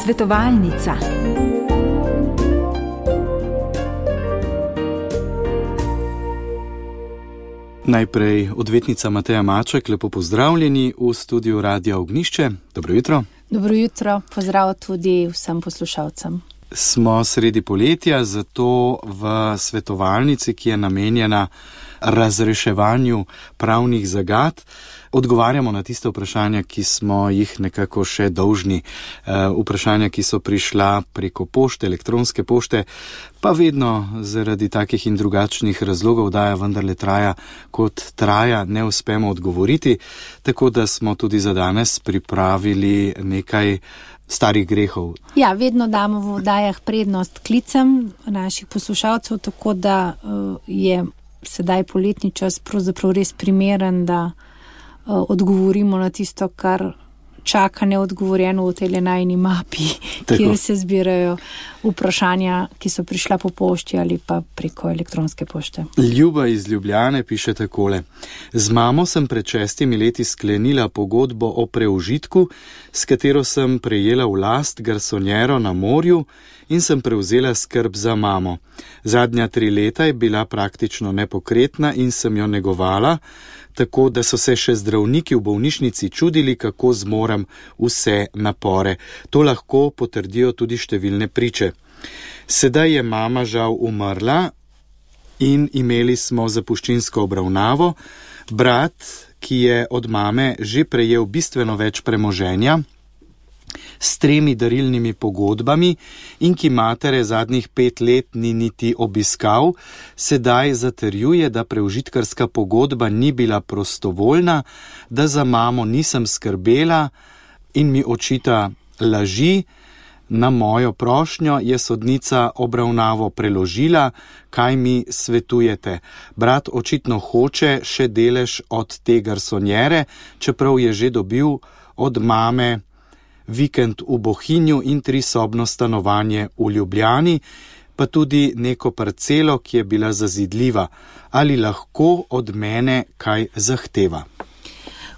Svetovalnica. Najprej odvetnica Mateja Maček, lepo pozdravljeni v studiu Radia Ognjišče. Dobro jutro. Dobro jutro, pozdrav tudi vsem poslušalcem. Smo sredi poletja, zato v svetovalnici, ki je namenjena razreševanju pravnih zagad, odgovarjamo na tiste vprašanja, ki smo jih nekako še dolžni. Vprašanja, ki so prišla preko pošte, elektronske pošte, pa vedno zaradi takih in drugačnih razlogov, da vendarle traja kot traja, ne uspemo odgovoriti. Tako da smo tudi za danes pripravili nekaj starih grehov. Ja, vedno damo v oddajah prednost klicem naših poslušalcev, tako da je sedaj poletni čas pravzaprav res primeren, da odgovorimo na tisto, kar čaka neodgovorjeno v tej najini mapi, kjer se zbirajo vprašanja, ki so prišla po pošti ali pa preko elektronske pošte. Ljuba iz Ljubljane piše takole. Z mamo sem pred 6 leti sklenila pogodbo o preužitku, s katero sem prejela v last garsonjero na morju in sem prevzela skrb za mamo. Zadnja 3 leta je bila praktično nepokretna in sem jo negovala, tako da so se še zdravniki v bolnišnici čudili, kako zmorem vse napore. To lahko potrdijo tudi številne priče. Sedaj je mama žal umrla in imeli smo zapuščinsko obravnavo. Brat, ki je od mame že prejel bistveno več premoženja, s 3 darilnimi pogodbami in ki matere zadnjih 5 let ni niti obiskal, sedaj zatrjuje, da preužitkarska pogodba ni bila prostovoljna, da za mamo nisem skrbela in mi očita laži. Na mojo prošnjo je sodnica obravnavo preložila. Kaj mi svetujete? Brat očitno hoče še delež od te garsonjere, čeprav je že dobil od mame vikend v Bohinju in 3-sobno stanovanje v Ljubljani, pa tudi neko parcelo, ki je bila zazidljiva. Ali lahko od mene kaj zahteva?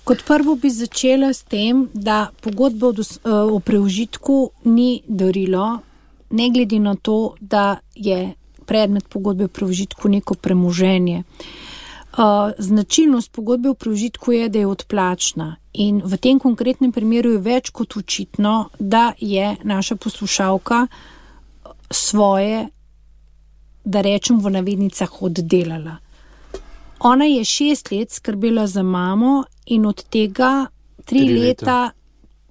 Kot prvo bi začela s tem, da pogodba o preužitku ni darilo, ne glede na to, da je predmet pogodbe o preužitku neko premoženje. Značilnost pogodbe o preužitku je, da je odplačna in v tem konkretnem primeru je več kot očitno, da je naša poslušalka svoje, da rečem v navednicah, oddelala. Ona je 6 let skrbela za mamo in od tega 3 leta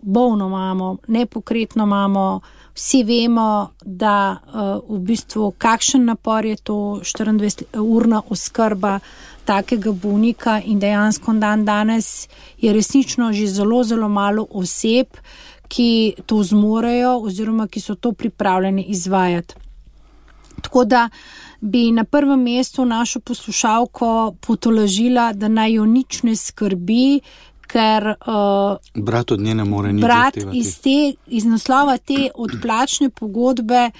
bolno mamo, nepokretno mamo. Vsi vemo, da v bistvu kakšen napor je to 24-urna oskrba takega bolnika in dejansko dan danes je resnično že zelo, zelo malo oseb, ki to zmorejo oziroma ki so to pripravljeni izvajati. Tako da bi na prvem mestu našo poslušalko potolažila, da naj jo nič ne skrbi, ker brat od nje ne more nič zahtevati. Brat iz naslova te odplačne pogodbe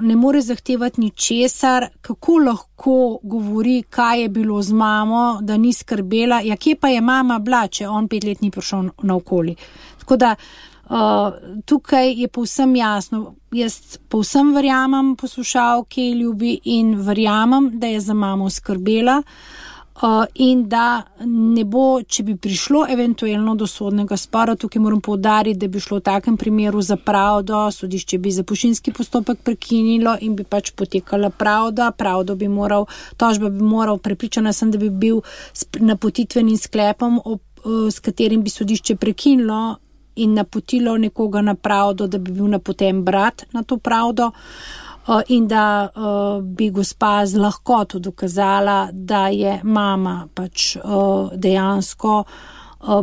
ne more zahtevati ničesar. Kako lahko govori, kaj je bilo z mamo, da ni skrbela? Ja, kje pa je mama bila, če on 5 let ni prišel naokoli? Tako da tukaj je povsem jasno. Jaz povsem verjamem poslušalki Ljubi in verjamem, da je za mamo skrbela in da ne bo, če bi prišlo eventualno do sodnega spora, tukaj moram poudariti, da bi šlo v takem primeru za pravdo, sodišče bi zapuščinski postopek prekinilo in bi pač potekala pravda, tožba bi moral, prepričana sem, da bi bil s napotitvenim sklepom, s katerim bi sodišče prekinilo in napotilo nekoga na pravdo, da bi bil napoten brat na to pravdo in da bi gospa z lahkoto dokazala, da je mama pač dejansko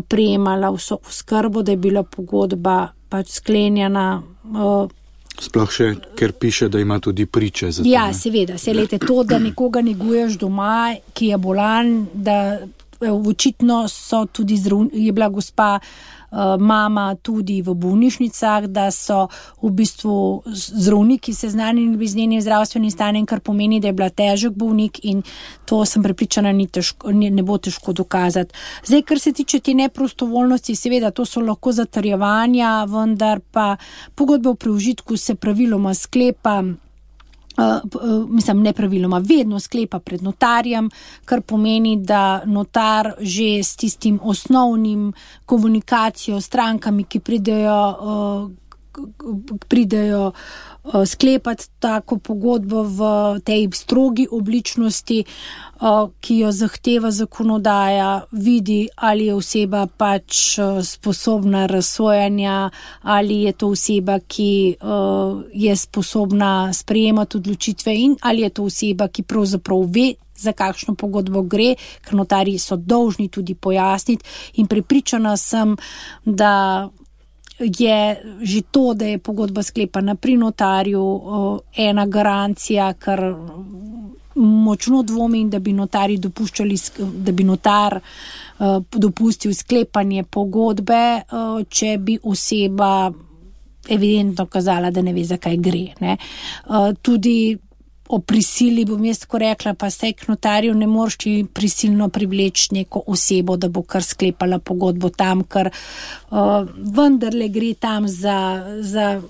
prejemala vso oskrbo, da je bila pogodba pač sklenjena. Sploh še, ker piše, da ima tudi priče za to. Ja, seveda, to, da nekoga neguješ doma, ki je bolan, da očitno so tudi je bila gospa mama tudi v bolnišnicah, da so v bistvu zdravniki seznanjeni z njenim zdravstvenim stanjem, kar pomeni, da je bila težek bolnik in to sem prepričana, ne bo težko dokazati. Zdaj, kar se tiče te neprostovoljnosti, seveda to so lahko zatrjevanja, vendar pa pogodba o preužitku se praviloma sklepa, nepraviloma, vedno sklepa pred notarjem, kar pomeni, da notar že s tistim osnovnim komunikacijo s strankami, ki pridejo sklepati tako pogodbo v tej strogi obličnosti, ki jo zahteva zakonodaja, vidi, ali je oseba pač sposobna razsojanja, ali je to oseba, ki je sposobna sprejemati odločitve in ali je to oseba, ki pravzaprav ve, za kakšno pogodbo gre, ker notarji so dolžni tudi pojasniti in prepričana sem, da je že to, da je pogodba sklepana pri notarju, ena garancija, ker močno dvomim, da bi notarji dopuščali, da bi notar dopustil sklepanje pogodbe, če bi oseba evidentno kazala, da ne ve, za kaj gre, ne. Tudi o prisili bom jaz tako rekla, pa saj k notarju ne moreš prisilno privleči neko osebo, da bo kar sklepala pogodbo tam, ker vendarle gre tam za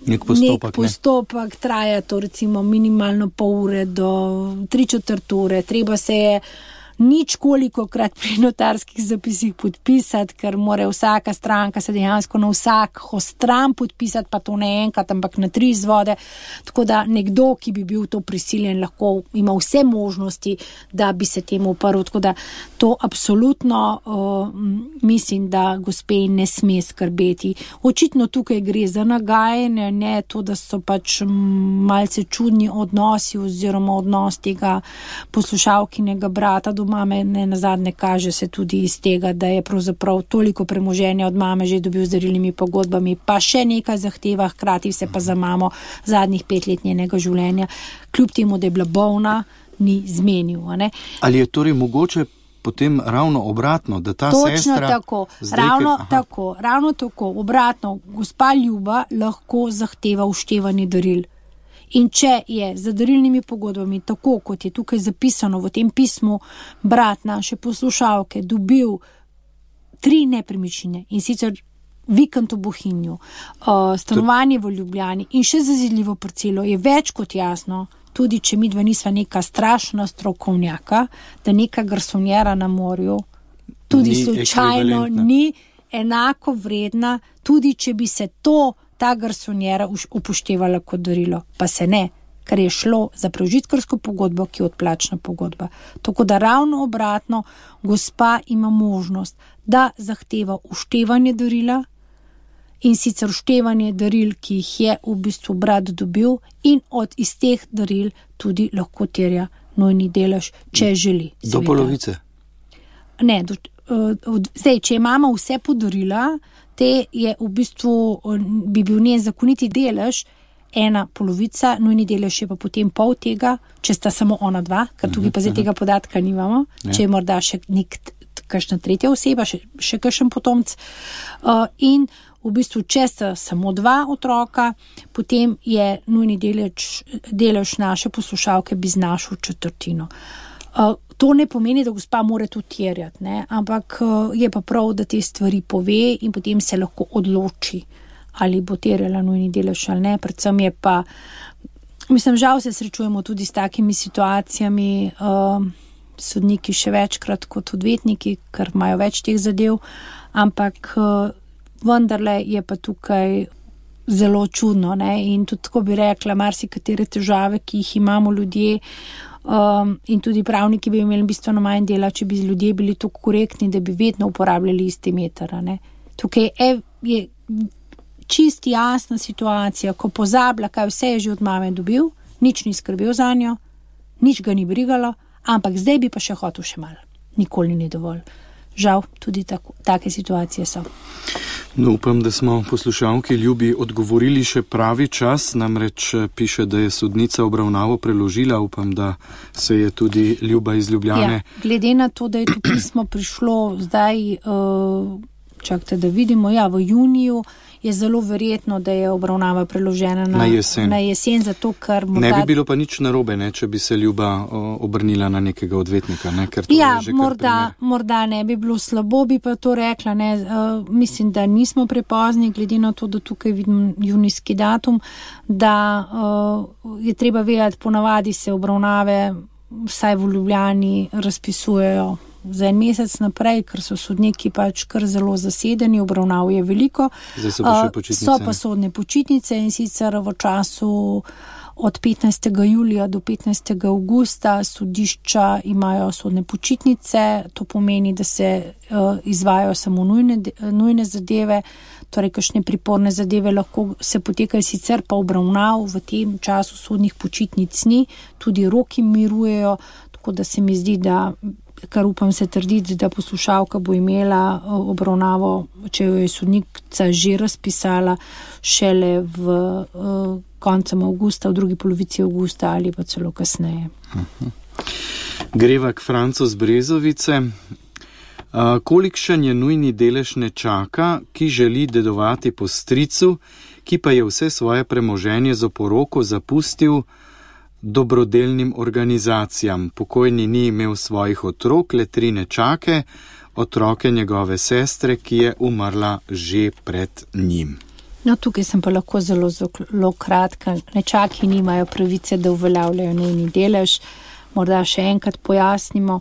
nek postopek, traja to recimo minimalno pol ure do 3/4 ure, treba se je nič kolikokrat pri notarskih zapisih podpisati, ker mora vsaka stranka se dejansko na vsako stran podpisati, pa to ne enkrat, ampak na 3 izvode. Tako da nekdo, ki bi bil to prisiljen, lahko ima vse možnosti, da bi se temu uprl. Tako da to absolutno mislim, da gospe ne sme skrbeti. Očitno tukaj gre za nagajanje, ne to, da so pač malce čudni odnosi oziroma odnos tega poslušalkinega brata do mame, ne nazadnje kaže se tudi iz tega, da je pravzaprav toliko premoženja od mame že dobil z darilnimi pogodbami, pa še nekaj zahteva, hkrati se pa za mamo zadnjih 5 let njenega življenja, kljub temu, da je bila bolna, ni zmenil. Ne? Ali je torej mogoče potem ravno obratno, da ta točno sestra... Tako, ravno tako, obratno, gospa Ljuba lahko zahteva uštevanje daril. In če je z darilnimi pogodbami, tako kot je tukaj zapisano v tem pismu, brat naše poslušalke dobil 3 nepremičnine in sicer vikend v Bohinju, stanovanje v Ljubljani in še zazidljivo parcelo, je več kot jasno, tudi če midva nisva neka strašna strokovnjaka, da neka garsonjera na morju tudi slučajno ni enako vredna, tudi če bi se ta garsonjera upoštevala kot darilo, pa se ne, ker je šlo za preužitkarsko pogodbo, ki je odplačna pogodba. Tako da ravno obratno, gospa ima možnost, da zahteva uštevanje darila in sicer uštevanje daril, ki jih je v bistvu brat dobil in iz teh daril tudi lahko terja nujni delež, če želi. Do polovice? Ne, zdaj, če imamo vse podarila, te je v bistvu, bi bil njen zakoniti delež 1/2, nujni delež je pa potem pol tega, če sta samo ona 2, ker tukaj pa zdaj tega podatka nimamo, če je morda še kakšna tretja oseba, še kakšen potomc. In v bistvu, če sta samo 2 otroka, potem je nujni delež naše poslušalke bi znašal 1/4. To ne pomeni, da gospa mora to terjati, ne? Ampak je pa prav, da te stvari pove in potem se lahko odloči, ali bo terjala nujni delež ali ne. Predvsem je pa, žal se srečujemo tudi s takimi situacijami, sodniki še večkrat kot odvetniki, ker imajo več teh zadev, ampak vendarle je pa tukaj zelo čudno, ne? In tudi tako bi rekla, marsikatere težave, ki jih imamo ljudje, in tudi pravniki bi imeli bistveno manj dela, če bi ljudje bili tako korektni, da bi vedno uporabljali isti meter, ne. Tukaj je čist jasna situacija, ko pozablja, kaj vse je že od mame dobil, nič ni skrbel zanjo, nič ga ni brigalo, ampak zdaj bi pa še hotel še malo. Nikoli ni dovolj. Žal, tudi take situacije so. No, upam, da smo poslušalki Ljubi odgovorili še pravi čas, namreč piše, da je sodnica obravnavo preložila, upam, da se je tudi Ljuba iz Ljubljane. Ja, glede na to, da je to pismo prišlo zdaj čakajte, da vidimo, v juniju je zelo verjetno, da je obravnava preložena na jesen, zato ker ne bi bilo pa nič narobe, če bi se Ljuba obrnila na nekega odvetnika, ker to je že morda ne bi bilo slabo, bi pa to rekla, mislim, da nismo prepozni, glede na to, da tukaj vidim junijski datum, da je treba vedeti, ponavadi se obravnave vsaj v Ljubljani razpisujejo za en mesec naprej, ker so sodniki pač kar zelo zasedeni, obravnav je veliko. Zdaj so pa še počitnice. So pa sodne počitnice in sicer v času od 15. julija do 15. augusta sodišča imajo sodne počitnice, to pomeni, da se izvajajo samo nujne zadeve, torej kakšne priporne zadeve lahko se potekajo, sicer pa obravnav v tem času sodnih počitnic ni, tudi roki mirujejo, tako da se mi zdi, da kar upam se trditi, da poslušalka bo imela obravnavo, če jo je sodnica že razpisala, šele v koncem avgusta, v drugi polovici avgusta ali pa celo kasneje. Greva k Francu z Brezovice. Kolikšen je nujni delež nečaka, ki želi dedovati po stricu, ki pa je vse svoje premoženje z oporoko zapustil dobrodelnim organizacijam. Pokojni ni imel svojih otrok, le 3 nečake, otroke njegove sestre, ki je umrla že pred njim. No, tukaj sem pa lahko zelo kratka. Nečaki nimajo pravice, da uveljavljajo nujni delež. Morda še enkrat pojasnimo.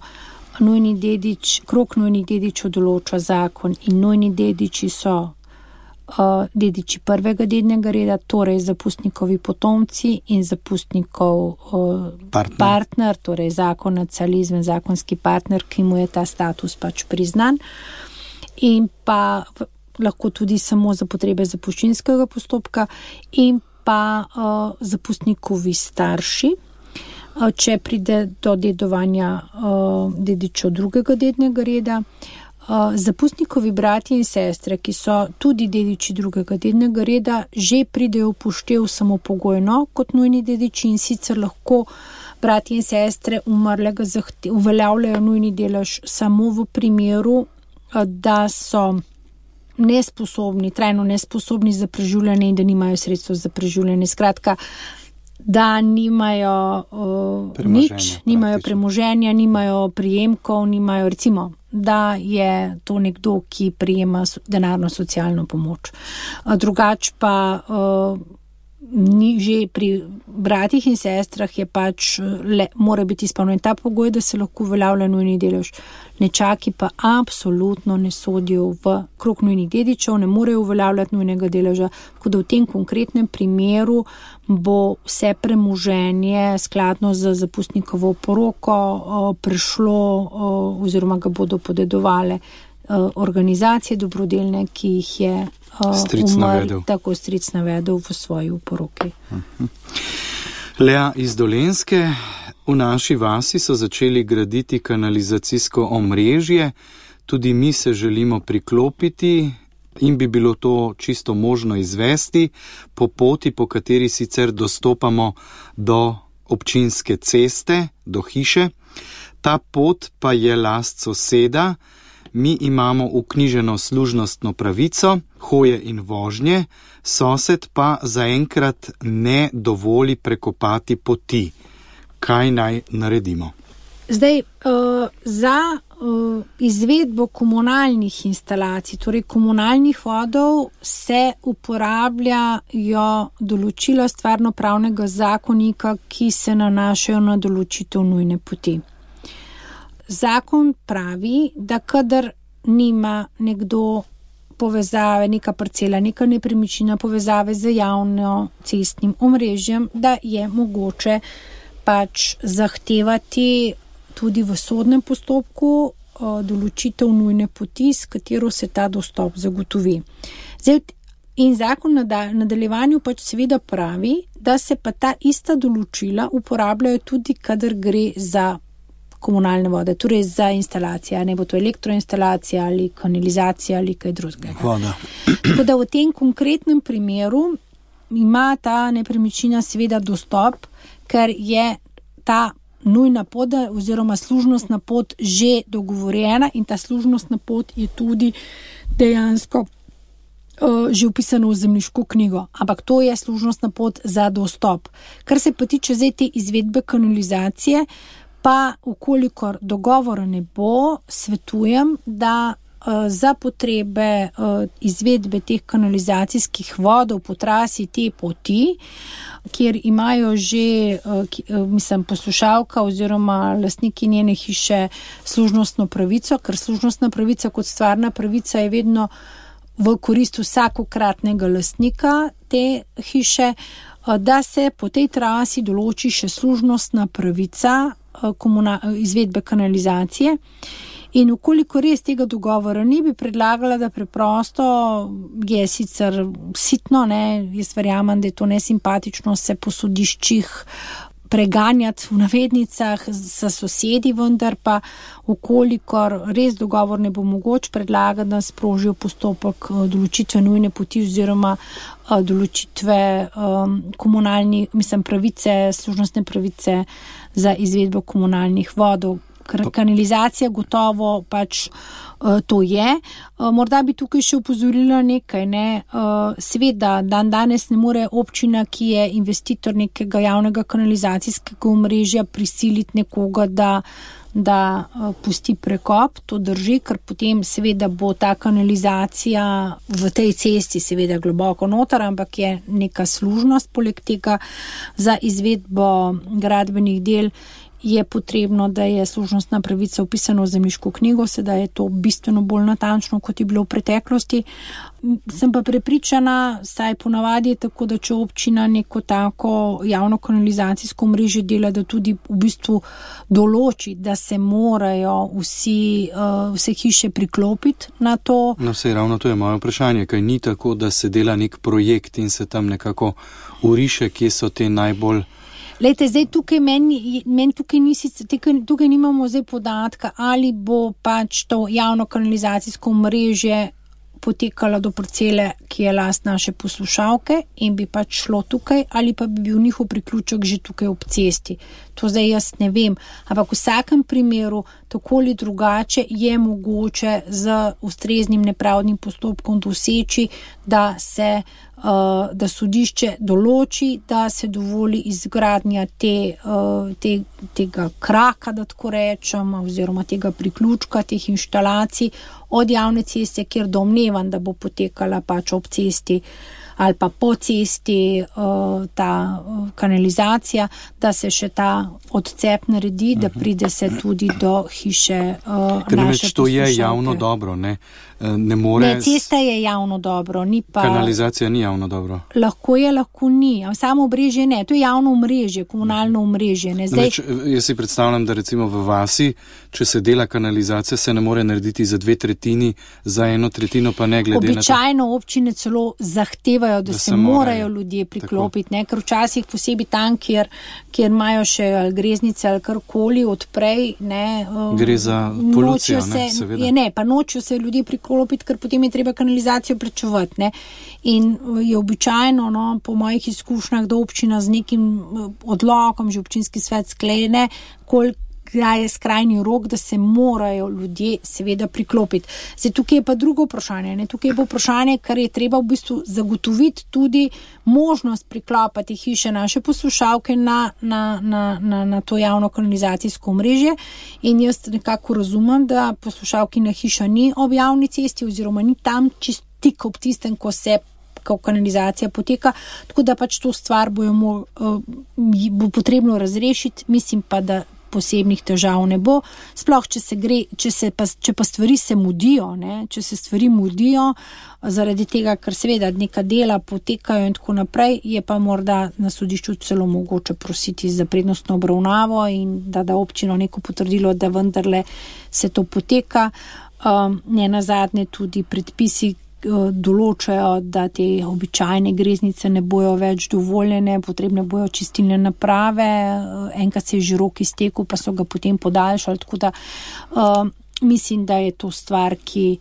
Krog nujnih dedičev določa zakon in nujni dediči so dediči prvega dednega reda, torej zapustnikovi potomci in zapustnikov partner, torej zakonac ali izvenzakonski partner, ki mu je ta status pač priznan, in pa lahko tudi samo za potrebe zapuščinskega postopka, in pa zapustnikovi starši, če pride do dedovanja dedičev drugega dednega reda. Zapustnikovi bratje in sestre, ki so tudi dediči drugega dednega reda, že pridejo upoštev samo pogojno kot nujni dediči, in sicer lahko bratje in sestre umrlega uveljavljajo nujni delež samo v primeru, da so trajno nesposobni za preživljanje in da nimajo sredstev za preživljanje. Skratka, da nimajo nimajo premoženja, nimajo prijemkov, nimajo, recimo, da je to nekdo, ki prijema denarno socialno pomoč. Drugač pa ni že pri bratih in sestrah je pač mora biti izpolnjen ta pogoj, da se lahko uveljavlja nujni delež. Nečaki pa absolutno ne sodijo v krog nujnih dedičev, ne morejo uveljavljati nujnega deleža, tako da v tem konkretnem primeru bo vse premoženje skladno z zapustnikovo poroko prišlo oziroma ga bodo podedovale organizacije dobrodelne, ki jih je stric navedel v svoji poroki. Lea iz Dolenjske. V naši vasi so začeli graditi kanalizacijsko omrežje, tudi mi se želimo priklopiti in bi bilo to čisto možno izvesti po poti, po kateri sicer dostopamo do občinske ceste, do hiše. Ta pot pa je last soseda. Mi imamo vknjiženo služnostno pravico, hoje in vožnje, sosed pa zaenkrat ne dovoli prekopati poti. Kaj naj naredimo? Zdaj, za izvedbo komunalnih instalacij, torej komunalnih vodov, se uporabljajo določila stvarnopravnega zakonika, ki se nanašajo na določitev nujne poti. Zakon pravi, da kadar nima nekdo povezave, neka parcela, neka nepremičnina povezave z javno cestnim omrežjem, da je mogoče pač zahtevati tudi v sodnem postopku določitev nujne poti, s katero se ta dostop zagotovi. Zdaj, in zakon nadaljevanju pač seveda pravi, da se pa ta ista določila uporabljajo tudi, kadar gre za komunalne vode, torej za instalacije, ne bo to elektroinstalacija ali kanalizacija ali kaj drugega. Tako da v tem konkretnem primeru ima ta nepremičnina seveda dostop, ker je ta nujna pot oziroma služnostna pot že dogovorjena in ta služnostna pot je tudi dejansko že upisano v zemljiško knjigo, ampak to je služnostna pot za dostop. Kar se pa tiče zdaj te izvedbe kanalizacije, pa ukolikor dogovora ne bo, svetujem, da za potrebe izvedbe teh kanalizacijskih vodov po trasi te poti, kjer imajo že, poslušalka oziroma lastniki njene hiše služnostno pravico, ker služnostna pravica kot stvarna pravica je vedno v korist vsakokratnega lastnika te hiše, da se po tej trasi določi še služnostna pravica izvedbe kanalizacije. In ukoliko res tega dogovora ni, bi predlagala, da preprosto je sicer sitno, jaz verjamem, da je to nesimpatično se po sodiščih preganjati v navednicah sa sosedi, vendar pa ukolikor res dogovor ne bo mogoč, predlagati, da sprožijo postopek določitve nujne poti oziroma določitve pravice, služnostne pravice za izvedbo komunalnih vodov. Kanalizacija gotovo pač to je. Morda bi tukaj še opozorila nekaj, Seveda, danes ne more občina, ki je investitor nekega javnega kanalizacijskega omrežja, prisiliti nekoga, da pusti prekop, to drži, ker potem seveda bo ta kanalizacija v tej cesti seveda globoko noter, ampak je neka služnost poleg tega za izvedbo gradbenih del. Je potrebno, da je služnostna pravica upisana v zemljiško knjigo, sedaj je to bistveno bolj natančno, kot je bilo v preteklosti. Sem pa prepričana, saj ponavadi je tako, da če občina neko tako javno kanalizacijsko mreže dela, da tudi v bistvu določi, da se morajo vse hiše priklopiti na to. No, sej ravno to je moje vprašanje, kaj ni tako, da se dela nek projekt in se tam nekako uriše, kje so te najbolj. Lejte, zdaj tukaj tukaj nimamo zdaj podatka, ali bo pač to javno kanalizacijsko omrežje potekalo do parcele, ki je last naše poslušalke in bi pač šlo tukaj, ali pa bi bil njihov priključek že tukaj ob cesti. To zdaj jaz ne vem, ampak v vsakem primeru tako ali drugače je mogoče z ustreznim nepravdnim postopkom doseči, da sodišče določi, da se dovoli izgradnja tega kraka, da tako rečem, oziroma tega priključka, teh inštalacij od javne ceste, kjer domnevam, da bo potekala pač ob cesti ali pa po cesti ta kanalizacija, da se še ta odcep naredi, da pride se tudi do hiše naše poslušalke. To je javno dobro, ne? Ne, cesta je javno dobro, ni pa. Kanalizacija ni javno dobro. Lahko je, lahko ni. Samo omrežje ne, to je javno omrežje, komunalno omrežje. Jaz si predstavljam, da recimo v vasi, če se dela kanalizacija, se ne more narediti za 2/3, za 1/3 pa ne glede na to. Običajno občine celo zahtevajo, da se morajo ljudje priklopiti, ker včasih posebej tam, kjer imajo še greznice ali karkoli odprej, gre za polucijo, seveda. Pa nočijo se ljudje priklopiti, ker potem je treba kanalizacijo plačevati, In je običajno, po mojih izkušnjah, da občina z nekim odlokom, že občinski svet sklene, kdaj je skrajni rok, da se morajo ljudje seveda priklopiti. Zdaj, tukaj je pa drugo vprašanje, Tukaj je pa vprašanje, kar je treba v bistvu zagotoviti tudi možnost priklopati hiše naše poslušalke na to javno kanalizacijsko omrežje. In jaz nekako razumem, da poslušalkina hiša ni ob javni cesti oziroma ni tam čisto tik ob tistem, ko kanalizacija poteka, tako da pač to stvar bo potrebno razrešiti, mislim pa, da posebnih težav ne bo. Sploh, če pa stvari se mudijo, če se stvari mudijo zaradi tega, ker seveda neka dela potekajo in tako naprej, je pa morda na sodišču celo mogoče prositi za prednostno obravnavo in da občino neko potrdilo, da vendarle se to poteka. Ne nazadnje tudi predpisi določajo, da te običajne greznice ne bojo več dovoljene, potrebne bojo čistilne naprave, enkrat se je že rok iztekel, pa so ga potem podaljšali, tako da mislim, da je to stvar, ki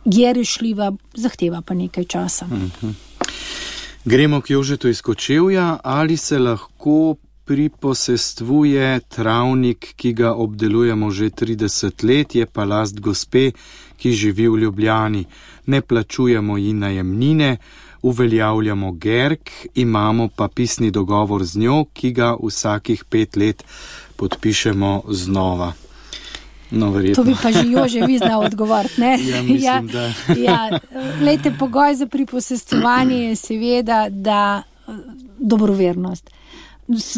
je rešljiva, zahteva pa nekaj časa. Gremo k Jožetu iz Kočevja. Ali se lahko priposestvuje travnik, ki ga obdelujemo že 30 let, je pa last gospe, ki živi v Ljubljani. Ne plačujemo ji najemnine, uveljavljamo GERK, imamo pa pisni dogovor z njo, ki ga vsakih 5 let podpišemo znova. No, to bi pa že Jože vi znal odgovoriti, ne? Ja, mislim, da. Lejte, pogoj za priposestvovanje je seveda, da dobrovernost.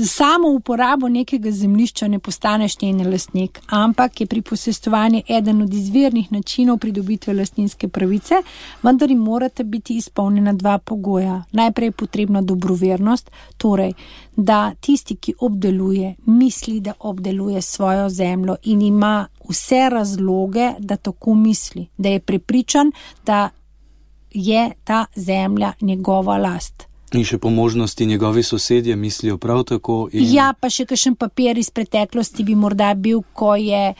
Samo uporabo nekega zemljišča ne postaneš njen lastnik, ampak je priposestvovanje eden od izvirnih načinov pridobitve lastninske pravice, vendar jim morata biti izpolnjena 2 pogoja. Najprej je potrebna dobrovernost, torej, da tisti, ki obdeluje, misli, da obdeluje svojo zemljo in ima vse razloge, da tako misli, da je prepričan, da je ta zemlja njegova last. In še po možnosti njegovi sosedje mislijo prav tako. Ja, pa še kakšen papir iz preteklosti bi morda bil, ko je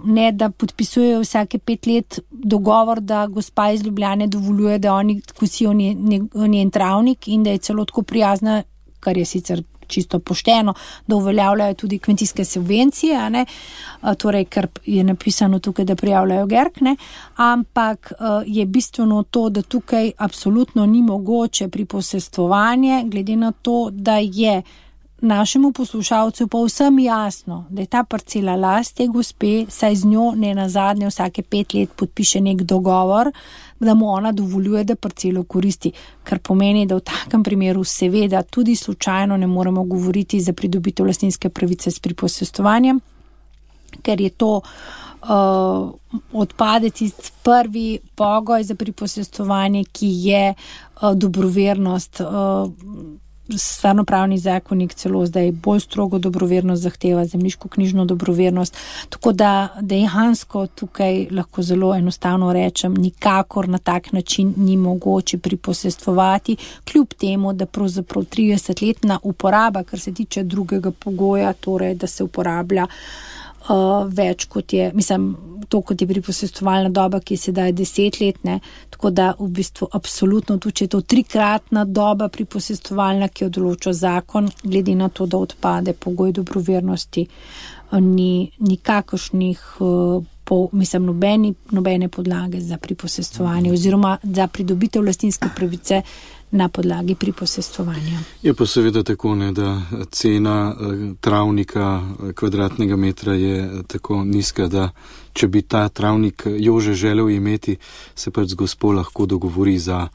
ne da podpisujejo vsake 5 let dogovor, da gospa iz Ljubljane dovoljuje, da oni kosijo njen travnik in da je celo tako prijazna, kar je sicer čisto pošteno, da uveljavljajo tudi kmetijske subvencije, a ne? Torej, ker je napisano tukaj, da prijavljajo GERK, ne? Ampak je bistveno to, da tukaj absolutno ni mogoče priposestvovanje, glede na to, da je našemu poslušalcu pa vsem jasno, da je ta parcela last te gospe, saj z njo ne nazadnje vsake 5 let podpiše nek dogovor, da mu ona dovoljuje, da parcelo koristi, kar pomeni, da v takem primeru seveda tudi slučajno ne moremo govoriti za pridobitev lastninske pravice s priposestvovanjem, ker je to odpade tisti prvi pogoj za priposestvovanje, ki je dobrovernost. Stvarnopravni zakonik celo zdaj bolj strogo dobrovernost zahteva, zemljiško-knjižno dobrovernost, tako da dejansko tukaj lahko zelo enostavno rečem, nikakor na tak način ni mogoče priposestvovati, kljub temu, da pravzaprav 30-letna uporaba, kar se tiče drugega pogoja, torej da se uporablja več kot je, to kot je priposestvovalna doba, ki je sedaj 10 let, ne, tako da v bistvu absolutno tudi, če je to 3-kratna doba priposestvovalna, ki jo določa zakon, glede na to, da odpade pogoj dobrovernosti, ni nikakršnih nobene podlage za priposestvovanje oziroma za pridobitev lastninske pravice na podlagi priposestvovanja. Je pa seveda tako, ne, da cena travnika kvadratnega metra je tako nizka, da če bi ta travnik Jože želel imeti, se pač z gospo lahko dogovori za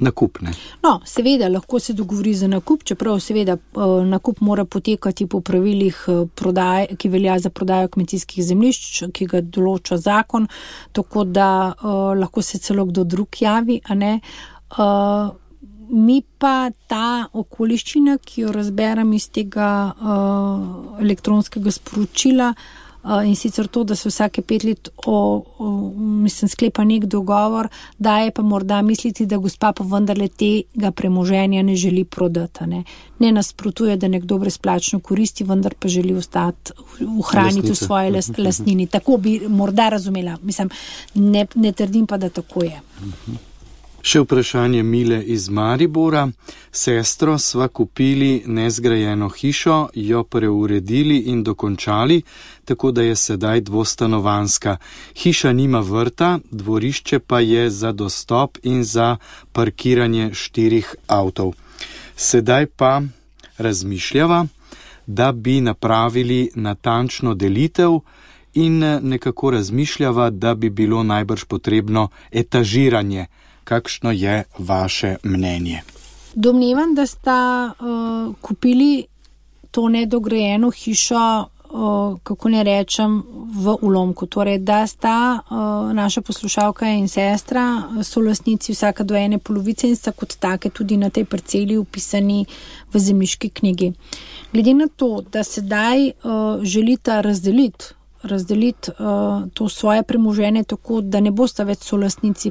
nakup, ne? No, seveda, lahko se dogovori za nakup, čeprav seveda nakup mora potekati po pravilih prodaje, ki velja za prodajo kmetijskih zemljišč, ki ga določa zakon, tako da lahko se celo kdo drug javi, a ne? Mi pa ta okoliščina, ki jo razberem iz tega elektronskega sporočila, in sicer to, da se vsake 5 let sklepa nek dogovor, daje pa morda misliti, da gospa pa vendarle tega premoženja ne želi prodati. Ne nasprotuje, da nekdo brezplačno koristi, vendar pa želi ostati, ohraniti v svoji lastnini. Tako bi morda razumela. Ne trdim pa, da tako je. Še vprašanje Mile iz Maribora. Sestro sva kupili nezgrajeno hišo, jo preuredili in dokončali, tako da je sedaj dvostanovanska. Hiša nima vrta, dvorišče pa je za dostop in za parkiranje 4 avtov. Sedaj pa razmišljava, da bi napravili natančno delitev in nekako razmišljava, da bi bilo najbrž potrebno etažiranje. Kakšno je vaše mnenje? Domnevam, da sta kupili to nedograjeno hišo, kako ne rečem, v ulomku. Torej, da sta naša poslušalka in sestra solastnici vsaka do ene polovice in sta kot take tudi na tej parceli upisani v zemljiški knjigi. Glede na to, da sedaj želita razdeliti to svoje premoženje tako, da ne bosta več solastnici,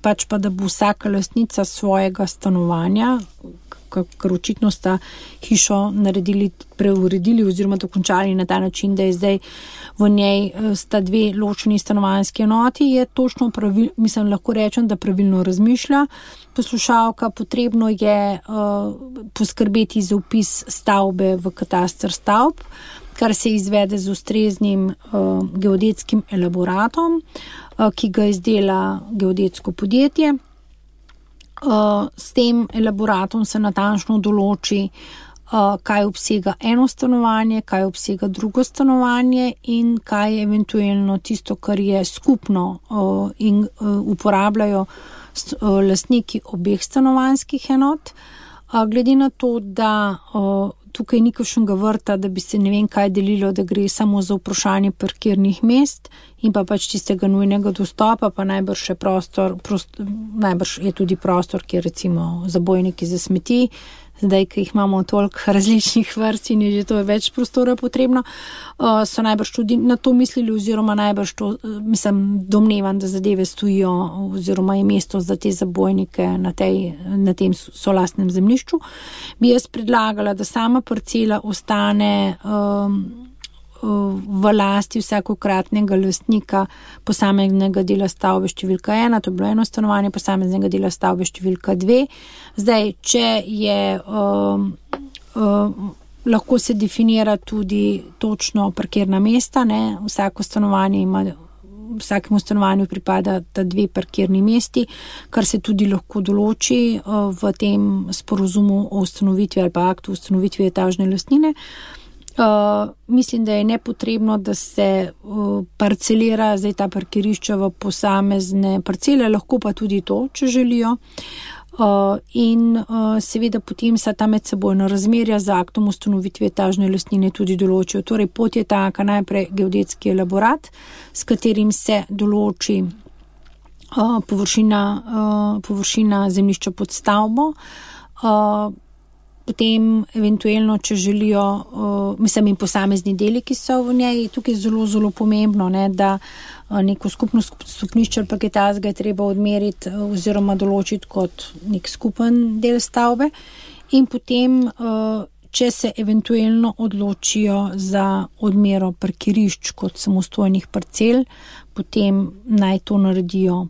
pač pa da bo vsaka lastnica svojega stanovanja, ker očitno sta hišo preuredili oziroma dokončali na ta način, da je zdaj v njej sta dve ločeni stanovanjski enoti, je točno lahko rečem, da pravilno razmišlja poslušalka. Potrebno je poskrbeti za vpis stavbe v kataster stavb, kar se izvede z ustreznim geodetskim elaboratom, ki ga izdela geodetsko podjetje. S tem elaboratom se natančno določi, kaj obsega eno stanovanje, kaj obsega drugo stanovanje in kaj je eventualno tisto, kar je skupno in uporabljajo lastniki obeh stanovanjskih enot. Glede na to, da tukaj ni kakšnega vrta, da bi se ne vem kaj delilo, da gre samo za vprašanje parkirnih mest in pa pač tistega nujnega dostopa, pa najbrž je tudi prostor, kjer recimo zabojniki za smeti, zdaj, ki jih imamo toliko različnih vrst in je že to več prostora potrebno, so najbrž tudi na to mislili oziroma najbrž to, domnevam, da zadeve stojijo oziroma je mesto za te zabojnike na tem solastnem zemljišču. Bi jaz predlagala, da sama parcela ostane v lasti vsakokratnega lastnika posameznega dela stavbe številka 1, to je bilo eno stanovanje, posameznega dela stavbe številka 2. Zdaj, če je lahko se definira tudi točno parkirna mesta, ne, vsakemu stanovanju pripada ta 2 parkirni mesti, kar se tudi lahko določi v tem sporozumu o ustanovitvi ali pa aktu o ustanovitvi etažne lastnine. Mislim, da je nepotrebno, da se parcelira zdaj ta parkirišča v posamezne parcele, lahko pa tudi to, če želijo. In seveda potem se ta medsebojna razmerja z aktom ustanovitve etažne lastnine tudi določijo. Torej pot je taka, najprej geodetski elaborat, s katerim se določi površina zemljišča pod stavbo, potem eventualno, če želijo, in posamezni deli, ki so v njej. Tukaj je zelo, zelo pomembno, ne, da neko skupno stopnišče ali pa kaj takega je treba odmeriti oziroma določiti kot nek skupen del stavbe. In potem, če se eventualno odločijo za odmero parkirišč kot samostojnih parcel, potem naj to naredijo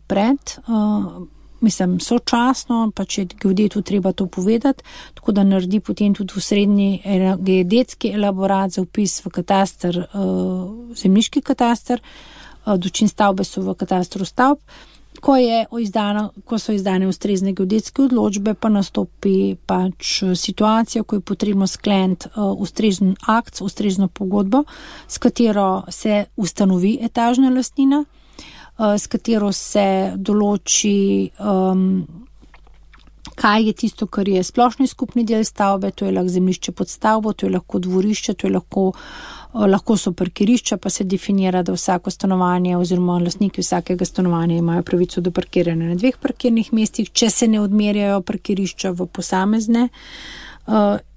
sočasno, pa če geodetu treba to povedati, tako da naredi potem tudi v srednji geodetski elaborat za vpis v kataster, zemljiški kataster, dočim stavbe so v katastru stavb. Ko so izdane ustrezne geodetske odločbe, pa nastopi pač situacija, ko je potrebno skleniti ustrezen akt, ustrezno pogodbo, s katero se ustanovi etažna lastnina, s katero se določi, kaj je tisto, kar je splošni skupni del stavbe, to je lahko zemljišče pod stavbo, to je lahko dvorišče, to je lahko so parkirišča, pa se definira, da vsako stanovanje oziroma lastniki vsakega stanovanja imajo pravico do parkiranja na 2 parkirnih mestih, če se ne odmerjajo parkirišča v posamezne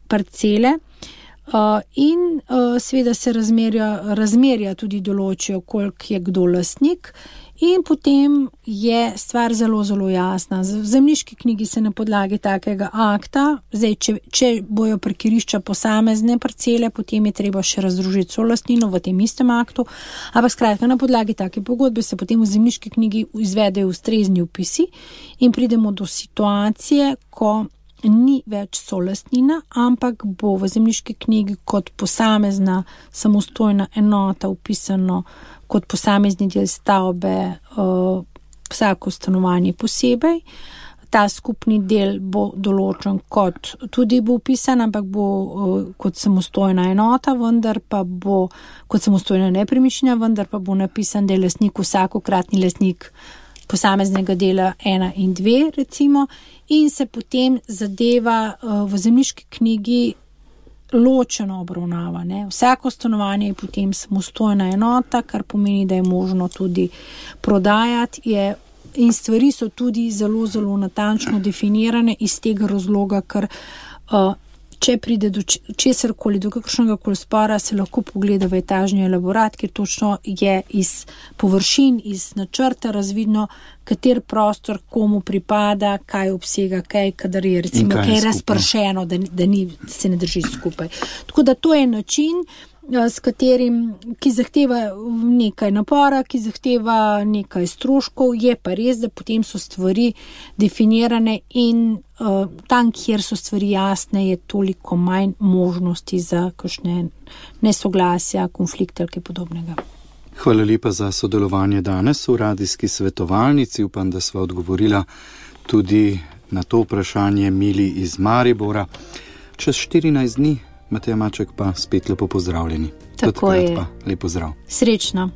parcele. In seveda se razmerja tudi določijo, koliko je kdo lastnik. In potem je stvar zelo, zelo jasna. V zemljiški knjigi se na podlagi takega akta, zdaj, če bojo parkirišča posamezne parcele, potem je treba še razdružiti solastnino v tem istem aktu, ampak skratka, na podlagi take pogodbe se potem v zemljiški knjigi izvedejo ustrezni vpisi in pridemo do situacije, ko ni več solastnina, ampak bo v zemljiški knjigi kot posamezna samostojna enota vpisano kot posamezni del stavbe vsako stanovanje posebej. Ta skupni del bo določen kot tudi bo vpisan, ampak bo kot samostojna enota, vendar pa bo kot samostojna nepremičnina, vendar pa bo napisan, da je lastnik vsakokratni lastnik posameznega dela 1 in 2 recimo, in se potem zadeva v zemljiški knjigi ločeno obravnava. Ne? Vsako stanovanje je potem samostojna enota, kar pomeni, da je možno tudi prodajati, in stvari so tudi zelo, zelo natančno definirane iz tega razloga, ker če pride do česarkoli, do kakršnega koli spora, se lahko pogleda v etažni elaborat, kjer točno je iz površin, iz načrta razvidno, kater prostor komu pripada, kaj obsega, kadar je recimo kaj razpršeno, da se ne drži skupaj. Tako da to je način, s katerim, ki zahteva nekaj napora, ki zahteva nekaj stroškov, je pa res, da potem so stvari definirane in tam, kjer so stvari jasne, je toliko manj možnosti za kakšne nesoglasja, konflikte ali kaj podobnega. Hvala lepa za sodelovanje danes v radijski svetovalnici. Upam, da sva odgovorila tudi na to vprašanje Mili iz Maribora. Čez 14 dni Mateja Maček pa spet lepo pozdravljeni. Tako je. Pa lep pozdrav. Srečno.